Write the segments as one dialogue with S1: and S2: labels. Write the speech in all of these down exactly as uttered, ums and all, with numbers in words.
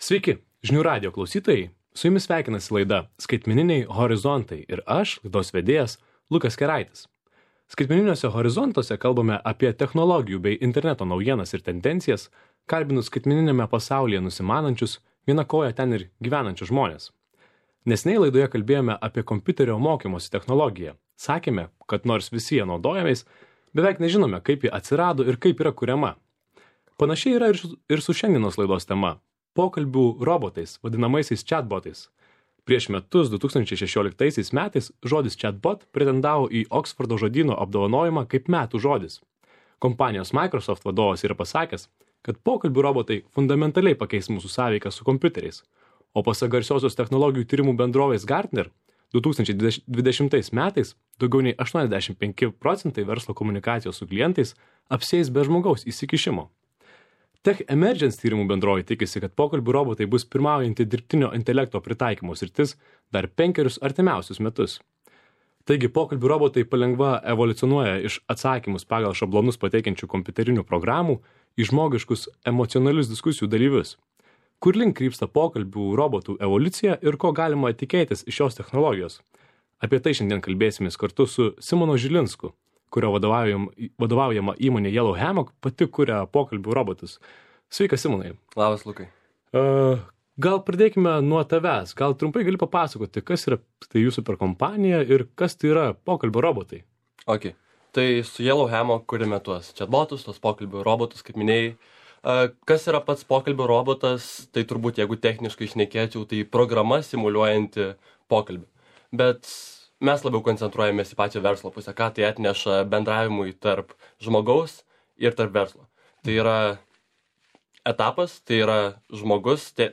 S1: Sveiki, žinių radijo klausytojai, su jumis sveikinasi laida Skaitmeniniai horizontai ir aš, laidos vedėjas Lukas Keraitis. Skaitmeniniuose horizontuose kalbame apie technologijų bei interneto naujienas ir tendencijas, kalbinus skaitmeninėme pasaulyje nusimanančius, viena koja ten ir gyvenančius žmonės. Neseniai laidoje kalbėjome apie kompiuterio mokymosi technologiją. Sakėme, kad nors visi jie naudojamės, beveik nežinome, kaip ji atsirado ir kaip yra kuriama. Panašiai yra ir su, ir su šiandienos laidos tema – pokalbių robotais, vadinamaisiais chatbotais. Prieš metus, du tūkstančiai šešioliktaisiais metais, žodis chatbot pretendavo į Oksfordo žodyno apdovanojimą kaip metų žodis. Kompanijos Microsoft vadovas yra pasakęs, kad pokalbių robotai fundamentaliai pakeis mūsų sąveiką su kompiuteriais. O pasak garsiosios technologijų tyrimų bendrovės Gartner, du tūkstančiai dvidešimtais metais daugiau nei aštuoniasdešimt penki procentai verslo komunikacijos su klientais apsieis be žmogaus įsikišimo. Tech Emergence tyrimų bendrovė tikisi, kad pokalbių robotai bus pirmaujanti dirbtinio intelekto pritaikymo sritis dar penkerius artimiausius metus. Taigi pokalbių robotai palengva evoliucionuoja iš atsakymus pagal šablonus pateikiančių kompiuterinių programų į žmogiškus emocionalius diskusijų dalyvius. Kur link krypsta pokalbių robotų evoliucija ir ko galima tikėtis iš šios technologijos? Apie tai šiandien kalbėsimės kartu su Simonu Žilinsku, kurio vadovaujam, vadovaujama įmonė Yellow Hammock pati kuria pokalbių robotus. Sveikas, Simonai.
S2: Labas, Lukai.
S1: Uh, gal pradėkime nuo tavęs. Gal trumpai gali papasakoti, kas yra tai jūsų per kompanija ir kas tai yra pokalbių robotai?
S2: Ok. Tai su Yellow Hammock kuriame tuos chatbotus, tuos pokalbių robotus, kaip minėjai. Uh, kas yra pats pokalbių robotas? Tai turbūt, jeigu techniškai šnekėčiau, tai programa simuliuojanti pokalbį. Bet mes labiau koncentruojamės į pačią verslo pusę, ką tai atneša bendravimui tarp žmogaus ir tarp verslo. Tai yra etapas, tai yra žmogus, tai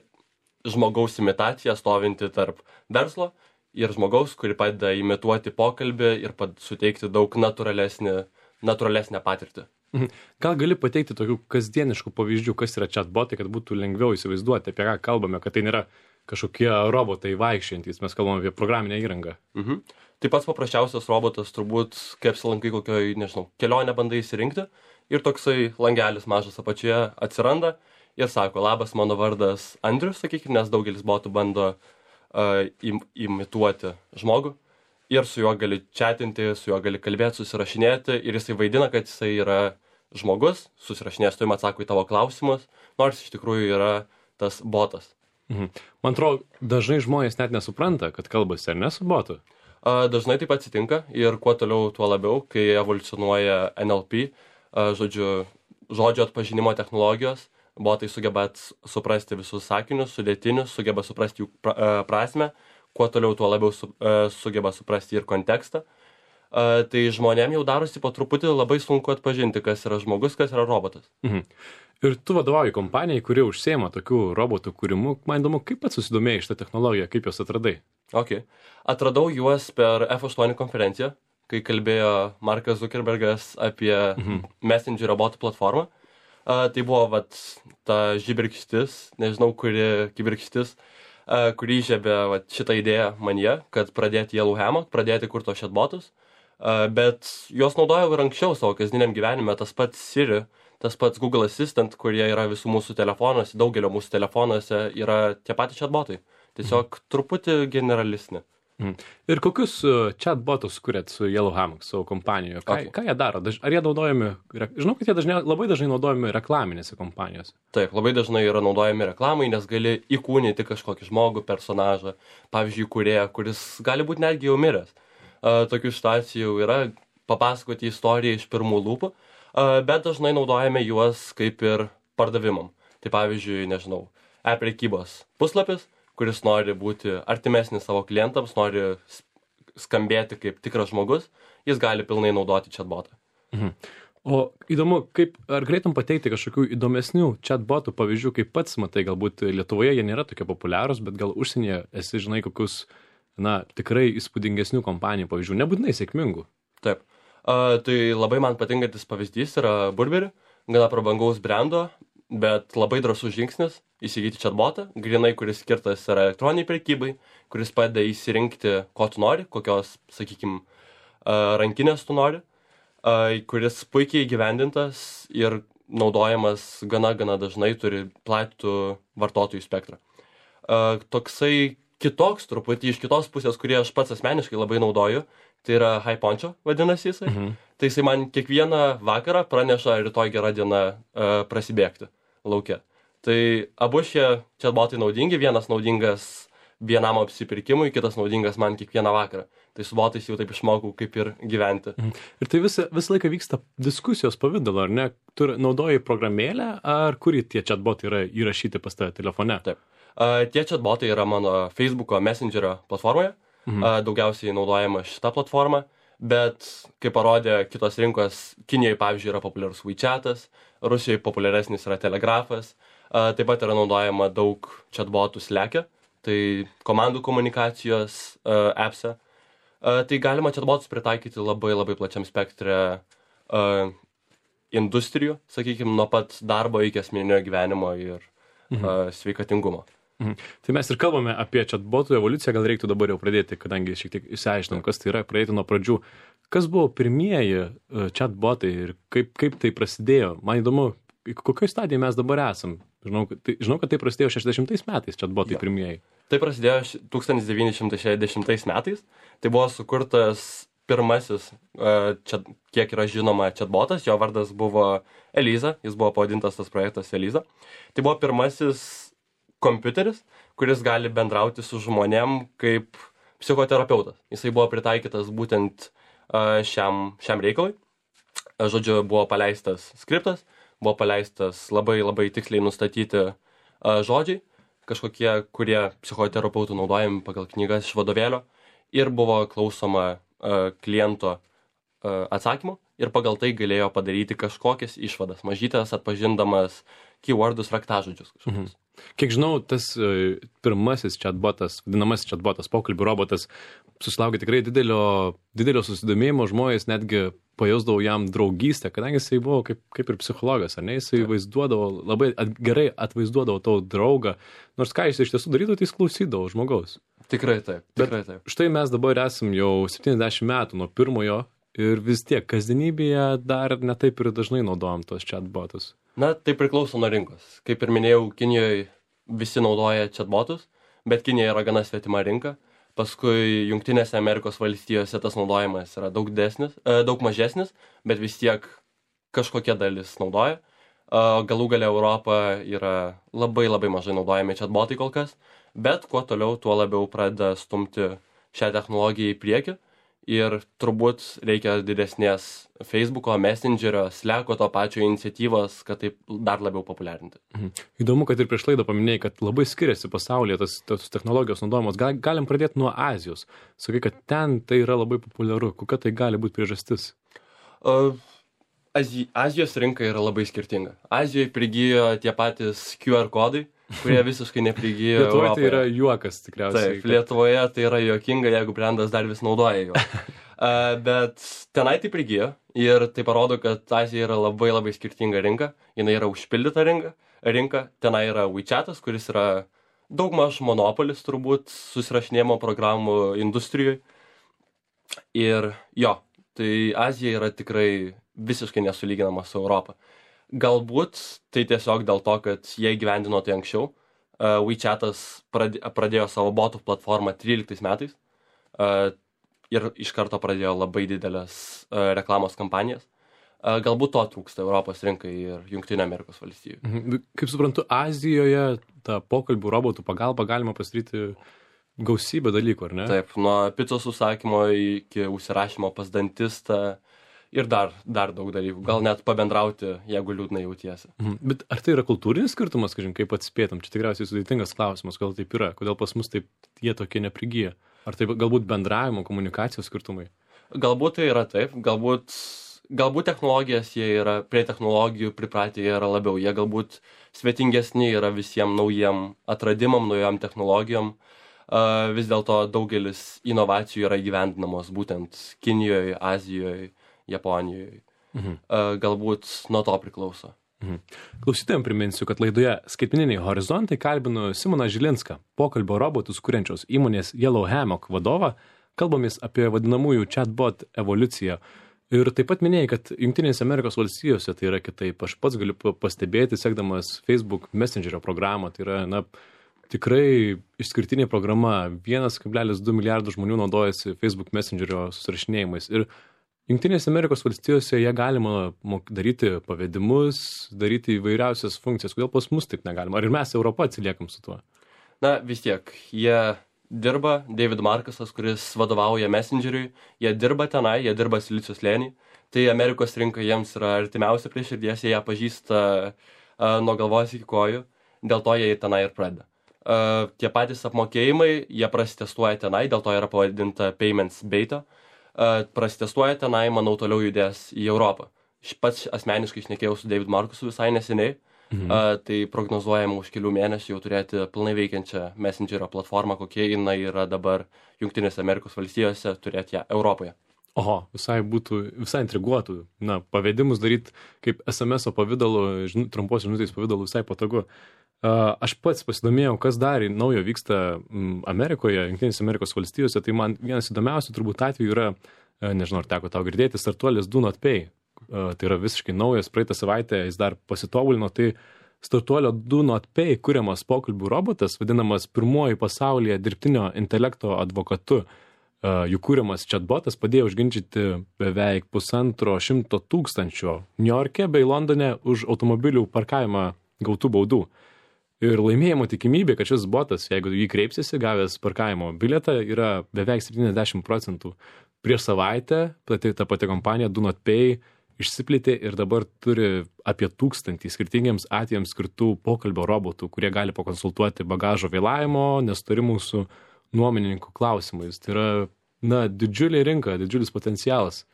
S2: žmogaus imitacija stovinti tarp verslo ir žmogaus, kuri padeda imituoti pokalbį ir pad suteikti daug natūralesnį, natūralesnę patirtį.
S1: Gal gali pateikti tokių kasdieniškų pavyzdžių, kas yra chatbotai, kad būtų lengviau įsivaizduoti, apie ką kalbame, kad tai nėra kažkokie robotai vaikščiantys, mes kalbame apie programinę įrangą.
S2: Mhm. Tai pats paprasčiausias robotas turbūt, kaip apsilankai kokioj, nežinau, kelionę bandai įsirinkti ir toksai langelis mažas apačioje atsiranda ir sako, labas, mano vardas Andrius, sakykime, nes daugelis botų bando uh, im, imituoti žmogų ir su juo gali chatinti, su juo gali kalbėti, susirašinėti ir jisai vaidina, kad jisai yra žmogus, susirašinės, tu jam atsako į tavo klausimus, nors iš tikrųjų yra tas botas.
S1: Mhm. Man atrodo, dažnai žmonės net nesupranta, kad kalbasi ar ne su botu.
S2: A, dažnai taip atsitinka ir kuo toliau, tuo labiau, kai evoliucionuoja N L P, a, žodžiu, žodžio atpažinimo technologijos, botai sugeba suprasti visus sakinius, sudėtinius, sugeba suprasti jų pra, a, prasmę, kuo toliau, tuo labiau su, a, sugeba suprasti ir kontekstą. A, tai žmonėm jau darosi po truputį labai sunku atpažinti, kas yra žmogus, kas yra robotas.
S1: Mhm. Ir tu vadovauji kompanijai, kuri užsiema tokių robotų kūrimu. Man įdomu, kaip pats susidomėjai šitą technologiją, kaip jos atradai?
S2: Ok. Atradau juos per F aštuoni konferenciją, kai kalbėjo Markas Zuckerbergas apie mhm. Messenger robotų platformą. Uh, tai buvo vat, ta žibirkštis, nežinau, kuri kibirkštis, uh, kuri įžiebė vat, šitą idėją manyje, kad pradėti Yellow Hammock, pradėti kurti tos chatbotus. Uh, bet juos naudojau ir anksčiau savo kasdieniam gyvenime, tas pats Siri, tas pats Google Assistant, kurie yra visų mūsų telefonuose, daugelio mūsų telefonuose yra tie patys chatbotai. Tiesiog mm. truputį generalistinė.
S1: Mm. Ir kokius uh, chatbotus kuriat su Yellow Hammock, savo kompanijoje? Ką,
S2: Okay.
S1: ką jie daro? Daž, ar jie naudojami, žinau, kad jie dažnai, labai dažnai naudojami reklaminėse kompanijose.
S2: Taip, labai dažnai yra naudojami reklamai, nes gali įkūnyti kažkokį žmogų, personažą, pavyzdžiui, kūrėją, kuris gali būti netgi jau miręs. Uh, tokių situacijų yra papasakoti istoriją iš pirmų lūpų. Bet dažnai naudojame juos kaip ir pardavimam. Tai pavyzdžiui, nežinau, e-prekybos puslapis, kuris nori būti artimesnis savo klientams, nori skambėti kaip tikras žmogus, jis gali pilnai naudoti chatbotą.
S1: Mhm. O įdomu, kaip, ar galėtum pateikti kažkokių įdomesnių chatbotų pavyzdžių, kaip pats matai, galbūt Lietuvoje jie nėra tokie populiarūs, bet gal užsienyje esi, žinai, kokius, na, tikrai įspūdingesnių kompanijų pavyzdžių, nebūtinai sėkmingų.
S2: Taip. Uh, tai labai man patinkantis pavyzdys yra Burberry, gana prabangaus brendo, bet labai drąsus žingsnis įsigyti chatbotą, grinai, kuris skirtas yra elektroniniai prekybai, kuris padeda įsirinkti, ko tu nori, kokios, sakykime, uh, rankinės tu nori, uh, kuris puikiai įgyvendintas ir naudojamas gana, gana dažnai, turi platų vartotojų spektrą. Uh, toksai kitoks truputį iš kitos pusės, kurį aš pats asmeniškai labai naudoju, tai yra HiPoncho vadinasi jisai. Mhm. Tai jisai man kiekvieną vakarą praneša rytoj gera diena uh, prasibėgti lauke. Tai abu šie chatbotai naudingi, vienas naudingas vienam apsipirkimui, kitas naudingas man kiekvieną vakarą. Tai su botais jau taip išmokau, kaip ir gyventi. Mhm.
S1: Ir tai visą, visą laiką vyksta diskusijos pavidalo, ar ne? Tu naudoji programėlę, ar kuri tie chatbotai yra įrašyti pas tave telefone?
S2: Taip. Uh, tie chatbotai yra mano Facebooko Messengerio platformoje. Mhm. Uh, daugiausiai naudojama šita platforma, bet kaip parodė kitos rinkos, Kinijoje, pavyzdžiui, yra populiarus WeChatas, Rusijoje populiaresnis yra Telegrafas, uh, taip pat yra naudojama daug chatbotų Slack'e, tai komandų komunikacijos uh, appse. Uh, tai galima chatbotus pritaikyti labai labai plačiam spektre uh, industrijų, sakykime, nuo pat darbo iki asmeninio gyvenimo ir mhm. uh, sveikatingumo.
S1: Mhm. Tai mes ir kalbame apie chatbotų evoliuciją, gal reiktų dabar jau pradėti, kadangi šiek tiek išsiaiškinom, kas tai yra, pradėti nuo pradžių. Kas buvo pirmieji uh, chatbotai ir kaip, kaip tai prasidėjo? Man įdomu, kokioje stadijoje mes dabar esam? Žinau, tai, žinau, kad tai prasidėjo šešiasdešimtais metais chatbotai ja. pirmieji.
S2: Tai prasidėjo tūkstantis devyni šimtai šešiasdešimtais metais. Tai buvo sukurtas pirmasis, čia, kiek yra žinoma, chatbotas. Jo vardas buvo Eliza, jis buvo pavadintas tas projektas Eliza. Tai buvo pirmasis kompiuteris, kuris gali bendrauti su žmonėm kaip psichoterapeutas. Jisai buvo pritaikytas būtent šiam, šiam reikalui. Žodžiu, buvo paleistas skriptas, buvo paleistas labai labai tiksliai nustatyti žodžiai, kažkokie, kurie psichoterapeutų naudojami pagal knygas iš vadovėlio, ir buvo klausoma uh, kliento uh, atsakymo ir pagal tai galėjo padaryti kažkokias išvadas, mažytės atpažindamas keywordus, raktažodžius kažkokius. Mhm.
S1: Kiek žinau, tas uh, pirmasis chatbotas, vadinamasis chatbotas, pokalbių robotas, susilaukė tikrai didelio, didelio susidomėjimo, žmonės netgi pajausdavo jam draugystę, kadangi jisai buvo kaip, kaip ir psichologas, ar ne, jisai Taip. vaizduodavo, labai at, gerai atvaizduodavo tavo draugą, nors ką jis iš tiesų darydavo, tai jis klausydavo žmogaus.
S2: Tikrai taip, tikrai taip.
S1: Bet štai mes dabar esam jau septyniasdešimt metų nuo pirmojo ir vis tiek kasdienybėje dar netaip ir dažnai naudojam tos chatbotus.
S2: Na, tai priklauso nuo rinkos. Kaip ir minėjau, Kinijoje visi naudoja chatbotus, bet Kinija yra gana svetima rinka. Paskui Jungtinėse Amerikos valstijose tas naudojimas yra daug desnis, daug mažesnis, bet vis tiek kažkokia dalis naudoja. Galų gale Europa yra labai labai mažai naudojami chatbotai kol kas, bet kuo toliau, tuo labiau pradeda stumti šią technologiją į priekį. Ir turbūt reikia didesnės Facebooko, Messengerio, Slack'o to pačio iniciatyvos, kad taip dar labiau populiarinti.
S1: Mhm. Įdomu, kad ir prieš laidą paminėjai, kad labai skiriasi pasaulyje tas, tas technologijos naudojamos. Gal, galim pradėti nuo Azijos. Sakai, kad ten tai yra labai populiaru. Kokia tai gali būti priežastis?
S2: Uh, Azi, Azijos rinka yra labai skirtinga. Azijoje prigijo tie patys Q R kodai, kurie visiškai neprigijo
S1: Lietuvoje
S2: Europoje.
S1: Tai yra juokas tikriausiai.
S2: Taip, kad... Lietuvoje tai yra juokinga, jeigu brandas dar vis naudoja jo. uh, bet tenai tai prigijo ir tai parodo, kad Azija yra labai labai skirtinga rinka. Jis yra užpildyta rinka. rinka. Tenai yra WeChatas, kuris yra daugmaž monopolis turbūt susirašinėjimo programų industrijoje. Ir jo, tai Azija yra tikrai visiškai nesulyginama su Europa. Galbūt tai tiesiog dėl to, kad jie gyvendino tai anksčiau. Uh, WeChatas pradėjo savo botų platformą tryliktais metais uh, ir iš karto pradėjo labai didelės uh, reklamos kampanijas. Uh, galbūt to trūksta Europos rinkai ir Jungtinių Amerikos valstijų.
S1: Mhm. Kaip suprantu, Azijoje tą pokalbių robotų pagalba galima pasidaryti gausybę dalykų, ar ne?
S2: Taip, nuo picos užsakymo iki užsirašymo pas dantistą. Ir dar, dar daug dalykų. Gal net pabendrauti, jeigu liūdnai jautiesi.
S1: Mhm. Bet ar tai yra kultūrinis skirtumas, kažin, kaip atspėtum? Čia tikriausiai sudėtingas klausimas, kodėl taip yra. Kodėl pas mus taip jie tokie neprigyja? Ar tai galbūt bendravimo, komunikacijos skirtumai?
S2: Galbūt tai yra taip. Galbūt, galbūt technologijas jie yra, prie technologijų pripratę jie yra labiau. Jie galbūt svetingesni yra visiems naujiem atradimam, naujam technologijom. Uh, vis dėlto daugelis inovacijų yra įgyvendinamos būtent Kinijoje, Azijoje, Japonijoje. Mhm. Uh, galbūt nuo to priklauso.
S1: Mhm. Klausytojams priminsiu, kad laidoje Skaitmeniniai horizontai kalbinu Simoną Žilinską, pokalbio robotus kuriančios įmonės Yellow Hammock vadovą. Kalbamės apie vadinamųjų chatbot evoliuciją. Ir taip pat minėjai, kad Jungtinėse Amerikos valstijose tai yra kitaip. Aš pats galiu pastebėti, sekdamas Facebook Messengerio programą, tai yra, na, tikrai išskirtinė programa. vienas kablelis du milijardų žmonių naudojasi Facebook Messengerio susirašinėjimais. Ir Jungtinėse Amerikos valstijose jie galima daryti pavedimus, daryti įvairiausias funkcijas. Kodėl pas mus taip negalima? Ar ir mes Europą atsiliekam su tuo?
S2: Na, vis tiek, jie dirba, David Markusas, kuris vadovauja Messengeriui, jie dirba tenai, jie dirba Silicio slėny, tai Amerikos rinka jiems yra artimiausia prie širdies, jie ją pažįsta uh, nuo galvos iki kojų, dėl to jie tenai ir pradeda. Uh, tie patys apmokėjimai, jie prasitestuoja tenai, dėl to yra pavadinta Payments Beta, uh, prasitestuoja tenai, manau, toliau judės į Europą. Aš pats asmeniškai šnekėjau su David Markusu visai neseniai, Mhm. Uh, tai prognozuojama už kelių mėnesių jau turėti pilnai veikiančią Messengerio platformą, kokie jinai yra dabar Jungtinėse Amerikos valstijose, turėti ją Europoje.
S1: Oho, visai būtų, visai intriguotų. Na, pavedimus daryti kaip es em es pavidalu, žin, trumpos žinutės pavidalu visai patogu. Uh, aš pats pasidomėjau, kas dar naujo vyksta m, Amerikoje, Jungtinėse Amerikos valstijose, tai man vienas įdomiausių turbūt atvejų yra, uh, nežinau, ar teko tau girdėti, startuolis Do Not Pay. Uh, tai yra visiškai naujas, praeitą savaitę jis dar pasitobulino, tai startuolio Do Not Pay kuriamas pokalbių robotas, vadinamas pirmuoju pasaulyje dirbtinio intelekto advokatu. Uh, jų kuriamas chatbotas padėjo užginčyti beveik pusantro šimto tūkstančio Niujorke bei Londone už automobilių parkavimą gautų baudų. Ir laimėjimo tikimybė, kad šis botas, jeigu jį kreipsiesi, gavęs parkavimo bilietą, yra beveik septyniasdešimt procentų. Prieš savaitę pati, ta pati kompanija Do Not Pay išsiplėtė ir dabar turi apie tūkstantį skirtingiems atvejams skirtų pokalbio robotų, kurie gali pakonsultuoti bagažo vėlavimo, nesutarimų su nuomininkų klausimais. Tai yra, na, didžiulė rinka, didžiulis potencialas.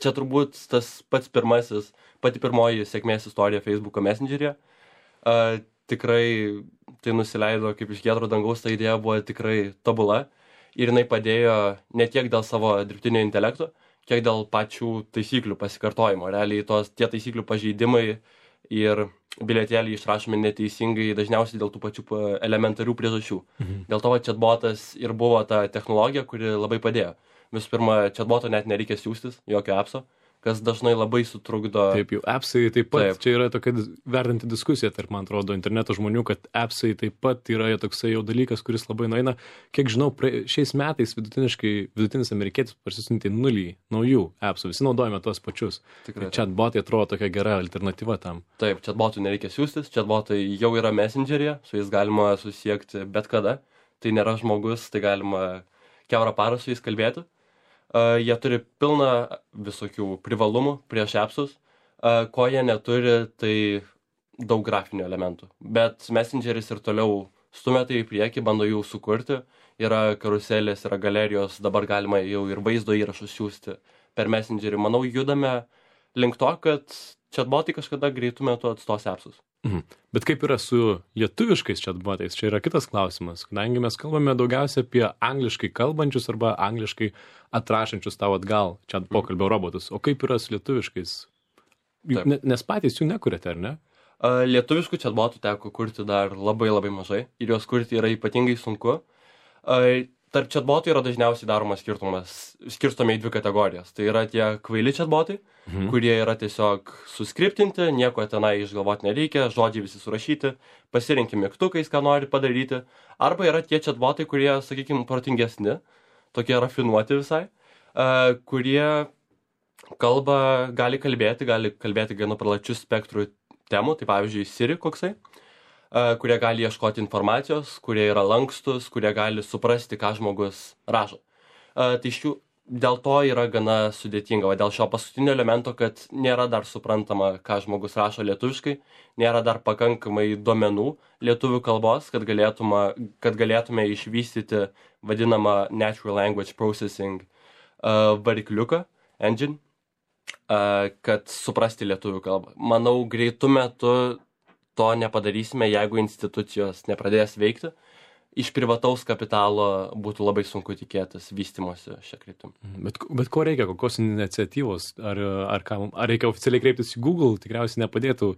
S2: Čia turbūt tas pats pirmasis, pati pirmoji sėkmės istorija Facebooko Messengeryje. Uh, tikrai tai nusileido kaip iš giedro dangaus, ta idėja buvo tikrai tobula ir jinai padėjo ne tiek dėl savo dirbtinio intelekto, kiek dėl pačių taisyklių pasikartojimo. Realiai tos tie taisyklių pažeidimai ir bilietėliai išrašomi neteisingai dažniausiai dėl tų pačių elementarių priežasčių. Mhm. Dėl to chatbotas ir buvo ta technologija, kuri labai padėjo. Visų pirma, chatboto net nereikia siųstis, jokio appso, kas dažnai labai sutrukdo.
S1: Taip, jau appsai taip pat,
S2: Taip.
S1: Čia yra tokia verdanti diskusija tarp, man atrodo, interneto žmonių, kad appsai taip pat yra toksai jau dalykas, kuris labai nueina. Kiek žinau, prie, šiais metais vidutiniškai, vidutinis amerikietis parsisiuntė nulį naujų appsų, visi naudojame tuos pačius.
S2: Tikrai.
S1: Chatbotai atrodo tokia gera alternatyva tam.
S2: Taip, chatbotų nereikia siųstis, chatbotai jau yra Messengeryje, su jais galima susiekti bet kada. Tai nėra žmogus, tai galima kiaurą parą su jais kalbėti. Uh, jie turi pilną visokių privalumų prieš appsus, uh, ko jie neturi, tai daug grafinių elementų. Bet Messengeris ir toliau stumia tai į priekį, bando jų sukurti. Yra karuselės, yra galerijos, dabar galima jau ir vaizdo įrašus siųsti per Messengerį. Manau, judame link to, kad chatbotai kažkada greitų metu atstos appsus.
S1: Mhm. Bet kaip yra su lietuviškais chatbotais? Čia yra kitas klausimas, kadangi mes kalbame daugiausia apie angliškai kalbančius arba angliškai atrašančius tau atgal chat pokalbio robotus. O kaip yra su lietuviškais? Ne, nes patys jų nekuriate, ar ne?
S2: Uh, lietuviškų chatbotų teko kurti dar labai labai mažai ir juos kurti yra ypatingai sunku. Uh, Tarp chatbotų yra dažniausiai daromas skirtumas, skirstome į dvi kategorijas. Tai yra tie kvaili chatbotai, mhm. kurie yra tiesiog suskriptinti, nieko tenai išgalvoti nereikia, žodžiai visi surašyti, pasirinkti mygtukais, ką nori padaryti. Arba yra tie chatbotai, kurie, sakykime, protingesni, tokie rafinuoti visai, uh, kurie kalba, gali kalbėti, gali kalbėti gana plačių spektrų temų, tai pavyzdžiui Siri koksai. Kurie gali ieškoti informacijos, kurie yra lankstus, kurie gali suprasti, ką žmogus rašo. Tai šių, dėl to yra gana sudėtinga, o dėl šio paskutinio elemento, kad nėra dar suprantama, ką žmogus rašo lietuviškai, nėra dar pakankamai duomenų lietuvių kalbos, kad galėtume, kad galėtume išvystyti vadinamą Natural Language Processing uh, varikliuką, engine, uh, kad suprasti lietuvių kalbą. Manau, greitų metų to nepadarysime, jeigu institucijos nepradės veikti. Iš privataus kapitalo būtų labai sunku tikėtis vystymosi šią kryptimį.
S1: Bet, bet ko reikia, kokios iniciatyvos? Ar, ar, ką, ar reikia oficialiai kreiptis į Google? Tikriausiai nepadėtų.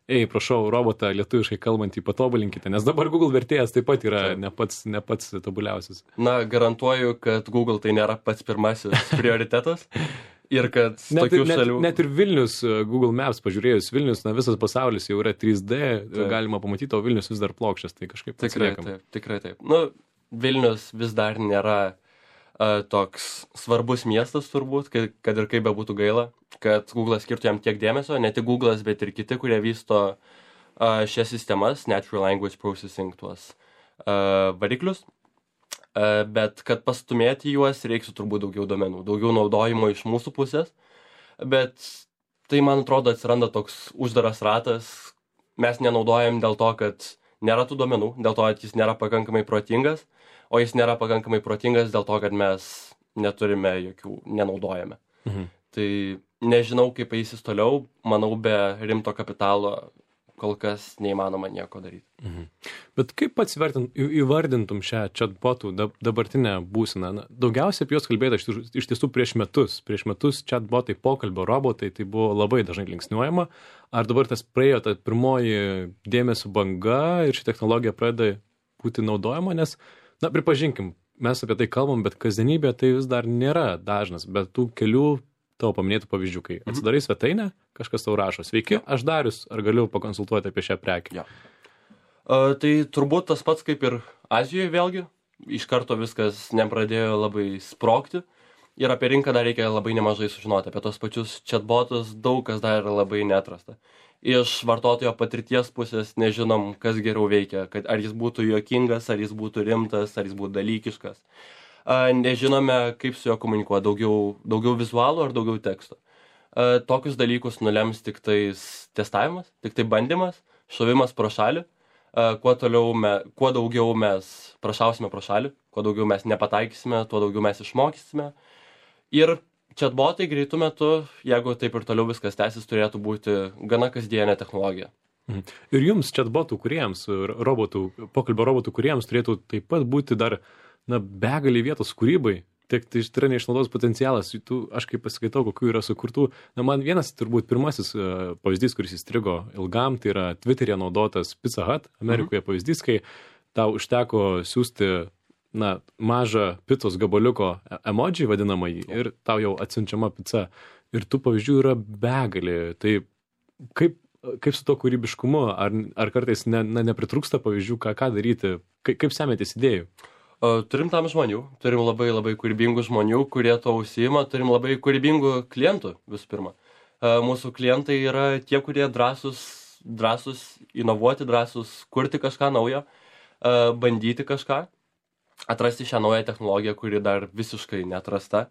S1: Ei, prašau, robotą lietuviškai kalbantį patobulinkite, nes dabar Google vertėjas taip pat yra ne pats, ne pats tobuliausias.
S2: Na, garantuoju, kad Google tai nėra pats pirmasis prioritetas. Ir kad
S1: net,
S2: tokių
S1: net,
S2: šalių...
S1: net ir Vilnius, Google Maps pažiūrėjus, Vilnius, na visas pasaulis jau yra trys D,
S2: Taip.
S1: galima pamatyti, o Vilnius vis dar plokščias, tai kažkaip
S2: Tikrai taip, tikrai taip. Nu, Vilnius vis dar nėra uh, toks svarbus miestas turbūt, kad, kad ir kaip bebūtų gaila, kad Google skirtų jam tiek dėmesio, ne tik Google'as, bet ir kiti, kurie vysto uh, šias sistemas, Natural Language Processing, tuos uh, variklius. Uh, bet kad pastumėti juos, reiks turbūt daugiau domenų, daugiau naudojimo iš mūsų pusės, bet tai, man atrodo, atsiranda toks uždaras ratas, mes nenaudojam dėl to, kad nėra tų domenų, dėl to, kad jis nėra pakankamai protingas, o jis nėra pakankamai protingas dėl to, kad mes neturime jokių, nenaudojame.
S1: Mhm.
S2: Tai nežinau, kaip eisis toliau, manau, be rimto kapitalo kol kas neįmanoma nieko daryti.
S1: Mhm. Bet kaip pats vertint, įvardintum šią chatbotų dabartinę būseną? Na, daugiausiai apie juos kalbėta iš, iš tiesų prieš metus. Prieš metus chatbotai, pokalbio robotai, tai buvo labai dažnai linksniuojama. Ar dabar tas praėjo ta pirmoji dėmesio banga ir ši technologija pradeda būti naudojama? Nes, na, pripažinkim, mes apie tai kalbam, bet kasdienybė tai vis dar nėra dažnas, bet tų kelių tavo paminėtų pavyzdžių, kai atsidarai svetainę, kažkas tau rašo, sveiki, aš Darius, ar galiu pakonsultuoti apie šią prekę?
S2: Ja. Uh, tai turbūt tas pats kaip ir Azijoje vėlgi, iš karto viskas nepradėjo labai sprogti ir apie rinką dar reikia labai nemažai sužinoti, apie tos pačius chatbotus daug kas dar yra labai neatrasta. Iš vartotojo patirties pusės nežinom, kas geriau veikia, kad ar jis būtų juokingas, ar jis būtų rimtas, ar jis būtų dalykiškas. Nežinome, kaip su juo komunikuoti, daugiau, daugiau vizualų ar daugiau teksto. Tokius dalykus nulems tik tais testavimas, tik tai bandymas, šovimas pro šalį. Kuo, toliau me, kuo daugiau mes prašausime pro šalį, kuo daugiau mes nepataikysime, tuo daugiau mes išmokysime. Ir chatbotai greitų metu, jeigu taip ir toliau viskas tęsis, turėtų būti gana kasdienė technologija.
S1: Mhm. Ir jums chatbotų kuriems, robotų, pokalbio robotų kuriems turėtų taip pat būti dar na, begalį vietos kūrybai, tiek tai yra neišnaudotas potencialas, tu, aš kaip pasikaitau, kokių yra sukurtų, na, man vienas turbūt pirmasis uh, pavyzdys, kuris įstrigo ilgam, tai yra Twitter'e naudotas Pizza Hut, Amerikoje mhm. pavyzdys, kai tau užteko siūsti, na, mažą picos gabaliuko emoji vadinamąjį ir tau jau atsiunčiama pica. Ir tų pavyzdžių yra begalį. Tai kaip, kaip su to kūrybiškumu, ar, ar kartais ne, na, nepritrūksta pavyzdžių, ką, ką daryti, kaip, kaip semėtis idėjų?
S2: Turim tam žmonių, turim labai labai kūrybingų žmonių, kurie to užsiima, turim labai kūrybingų klientų visų pirma. Mūsų klientai yra tie, kurie drąsus, drąsus inovuoti, drąsus kurti kažką naujo, bandyti kažką, atrasti šią naują technologiją, kuri dar visiškai neatrasta.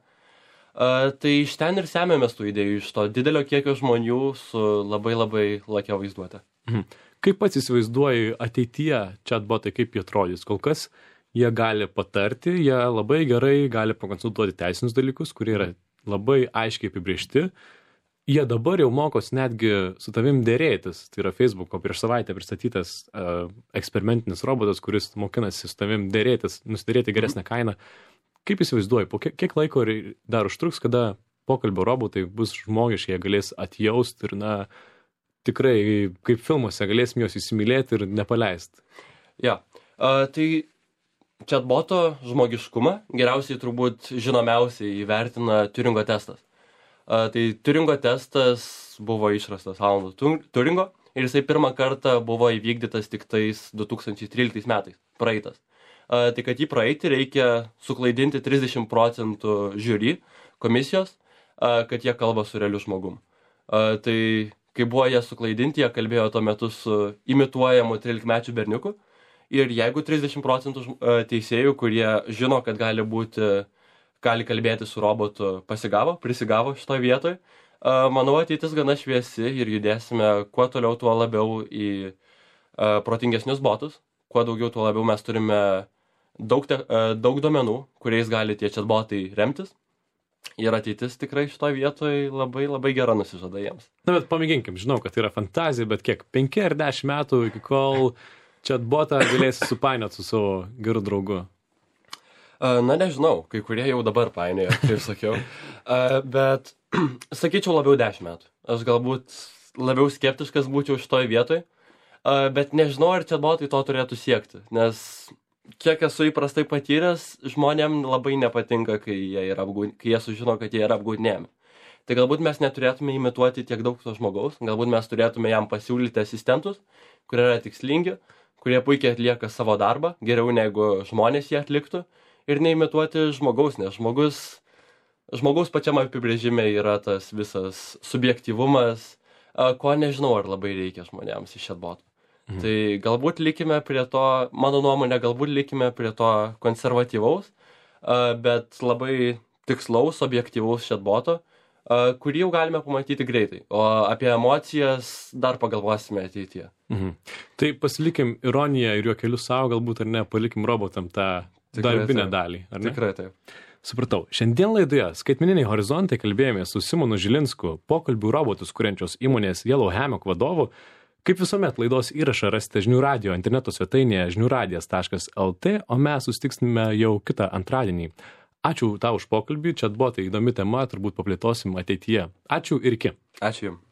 S2: Tai iš ten ir semėmės tų idėjų, iš to didelio kiekio žmonių su labai labai lakia vaizduotė.
S1: Mhm. Kaip pats įsivaizduoji ateityje chatbotai, kaip jie atrodys? Kol kas jie gali patarti, jie labai gerai gali pakonsultuoti teisinius dalykus, kurie yra labai aiškiai apibriežti. Jie dabar jau mokos netgi su tavim dėrėtis. Tai yra Facebooko prieš savaitę pristatytas uh, eksperimentinis robotas, kuris mokinasi su tavim dėrėtis, nusidėrėti geresnę kainą. Kaip įsivaizduoji, po kiek, kiek laiko dar užtruks, kada pokalbio robotai bus žmogiški, jie galės atjausti ir, na, tikrai kaip filmuose galėsim juos įsimylėti ir nepaleisti?
S2: Ja, uh, tai chatboto žmogiškumą geriausiai turbūt žinomiausiai įvertina Turingo testas. Uh, tai Turingo testas buvo išrastas Alano Turingo ir jisai pirmą kartą buvo įvykdytas tik tais du tūkstančiai tryliktais metais, praeitas. Uh, tai kad jį praeiti reikia suklaidinti trisdešimt procentų žiūri komisijos, uh, kad jie kalba su realiu žmogum. Uh, tai kai buvo jie suklaidinti, jie kalbėjo tuo metu su imituojamu trylikmečiu berniuku. Ir jeigu trisdešimt procentų teisėjų, kurie žino, kad gali būti, gali kalbėti su robotu, pasigavo, prisigavo šitoje vietoje, manau, ateitis gana šviesi ir judėsime kuo toliau, tuo labiau į protingesnius botus, kuo daugiau, tuo labiau mes turime daug, te, daug duomenų, kuriais gali tie chatbotai remtis. Ir ateitis tikrai šitoje vietoje labai labai gera nusižada jiems.
S1: Na, bet pamėginkim, žinau, kad tai yra fantazija, bet kiek, penki ar dešimt metų iki kol chatbotą galėsi supainioti su savo geru draugu?
S2: Na, nežinau, kai kurie jau dabar painioja, kaip sakiau. Bet sakyčiau labiau dešimt metų. Aš galbūt labiau skeptiškas būčiau šitoje vietoje, bet nežinau, ar chatbotai to turėtų siekti, nes kiek esu įprastai patyręs, žmonėm labai nepatinka, kai jie, yra apgūd... kai jie sužino, kad jie yra apgaudinėjami. tai galbūt mes neturėtume imituoti tiek daug to žmogaus, galbūt mes turėtume jam pasiūlyti asistentus, kurie yra tikslingi, kurie puikiai atlieka savo darbą, geriau negu žmonės jį atliktų, ir neimituoti žmogaus, nes žmogus, žmogaus pačiam apibrėžime yra tas visas subjektyvumas, ko nežinau, ar labai reikia žmonėms iš chatbotų. Mhm. Tai galbūt likime prie to, mano nuomonė, galbūt likime prie to konservatyvaus, bet labai tikslaus, objektyvaus chatboto, kurį jau galime pamatyti greitai. O apie emocijas dar pagalvosime ateityje.
S1: Mhm. Tai pasilikim ironiją ir juokelius savo, galbūt ar ne, palikim robotam tą darbinę dalį, ar ne?
S2: Tikrai taip.
S1: Supratau. Šiandien laidoje Skaitmeniniai horizontai kalbėjome su Simonu Žilinsku, pokalbių robotus kuriančios įmonės Yellow Hammock vadovu. Kaip visuomet, laidos įrašą rasite žinių radio interneto svetainėje žinių radijas taškas el tė, o mes susitiksime jau kitą antradienį. Ačiū tau už pokalbį, chatbotai įdomi tema, turbūt paplėtosim ateityje. Ačiū ir iki.
S2: Ačiū jums.